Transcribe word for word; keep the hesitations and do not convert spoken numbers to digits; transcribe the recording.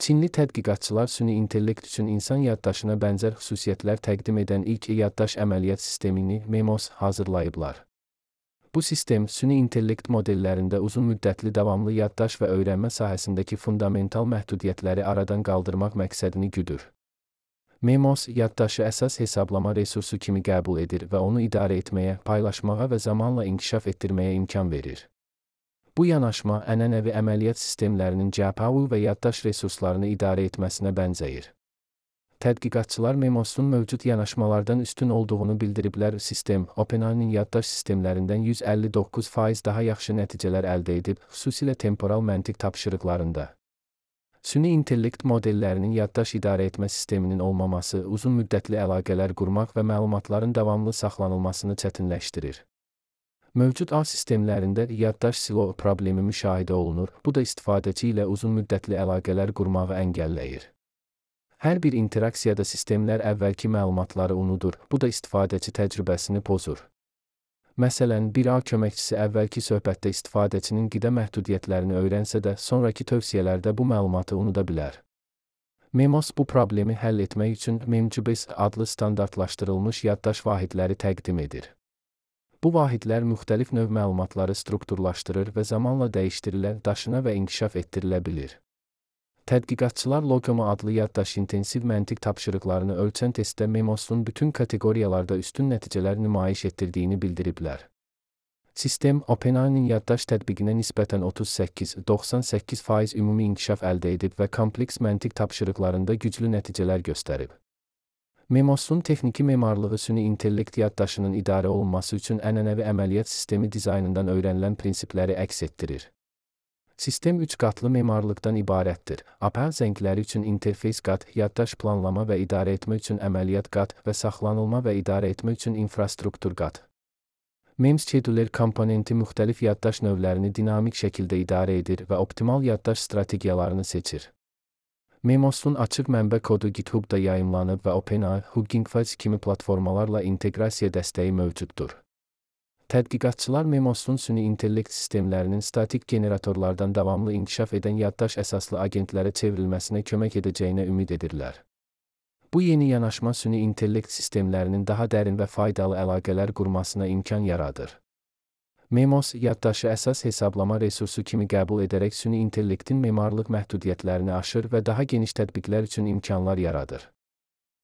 Çinli tədqiqatçılar süni intellekt üçün insan yaddaşına bənzər xüsusiyyətlər təqdim edən ilk yaddaş əməliyyat sistemini MEMOS hazırlayıblar. Bu sistem, süni intellekt modellərində uzun müddətli davamlı yaddaş və öyrənmə sahəsindəki fundamental məhdudiyyətləri aradan qaldırmaq məqsədini güdür. MEMOS, yaddaşı əsas hesablama resursu kimi qəbul edir və onu idarə etməyə, paylaşmağa və zamanla inkişaf etdirməyə imkan verir. Bu yanaşma, ənənəvi əməliyyat sistemlərinin G P U və yaddaş resurslarını idarə etməsinə bənzəyir. Tədqiqatçılar MEMOS'un mövcud yanaşmalardan üstün olduğunu bildiriblər. Sistem, OpenAI'nin yaddaş sistemlərindən yüz əlli doqquz faiz daha yaxşı nəticələr əldə edib, xüsusilə temporal məntiq tapşırıqlarında. Süni intellekt modellərinin yaddaş idarə etmə sisteminin olmaması, uzun müddətli əlaqələr qurmaq və məlumatların davamlı saxlanılmasını çətinləşdirir. Mövcud A sistemlərində yaddaş silo problemi müşahidə olunur, bu da istifadəçi ilə uzun müddətli əlaqələr qurmağı əngəlləyir. Hər bir interaksiyada sistemlər əvvəlki məlumatları unudur, bu da istifadəçi təcrübəsini pozur. Məsələn, bir A köməkçisi əvvəlki söhbətdə istifadəçinin qida məhdudiyyətlərini öyrənsə də, sonraki tövsiyələrdə bu məlumatı unuda bilər. MEMOS bu problemi həll etmək üçün MEMGBIS adlı standartlaşdırılmış yaddaş vahidləri təqdim edir. Bu vahidlər müxtəlif növ məlumatları strukturlaşdırır və zamanla dəyişdirilə, daşına və inkişaf etdirilə bilir. Tədqiqatçılar Logema adlı yaddaş intensiv məntiq tapşırıqlarını ölçən testdə MEMOS'un bütün kateqoriyalarda üstün nəticələr nümayiş etdirdiyini bildiriblər. Sistem, OpenAI'nin yaddaş tətbiqinə nisbətən otuz səkkiz doxsan səkkiz faiz ümumi inkişaf əldə edib və kompleks məntiq tapşırıqlarında güclü nəticələr göstərib. MEMOS'un texniki memarlığı süni intellekt yaddaşının idarə olunması üçün ənənəvi əməliyyat sistemi dizaynından öyrənilən prinsipləri əks etdirir. Sistem üç qatlı memarlıqdan ibarətdir. A P I zəngləri üçün interfeys qat, yaddaş planlama və idarə etmə üçün əməliyyat qat və saxlanılma və idarə etmə üçün infrastruktur qat. MEMS scheduler komponenti müxtəlif yaddaş növlərini dinamik şəkildə idarə edir və optimal yaddaş strategiyalarını seçir. MEMOS'un açıq mənbə kodu GitHub'da yayımlanıb və OpenAI, Hugging Face kimi platformalarla inteqrasiya dəstəyi mövcuddur. Tədqiqatçılar MEMOS'un süni intellekt sistemlərinin statik generatorlardan davamlı inkişaf edən yaddaş əsaslı agentlərə çevrilməsinə kömək edəcəyinə ümid edirlər. Bu yeni yanaşma süni intellekt sistemlərinin daha dərin və faydalı əlaqələr qurmasına imkan yaradır. MEMOS, yaddaşı əsas hesablama resursu kimi qəbul edərək süni intellektin memarlıq məhdudiyyətlərini aşır və daha geniş tətbiqlər üçün imkanlar yaradır.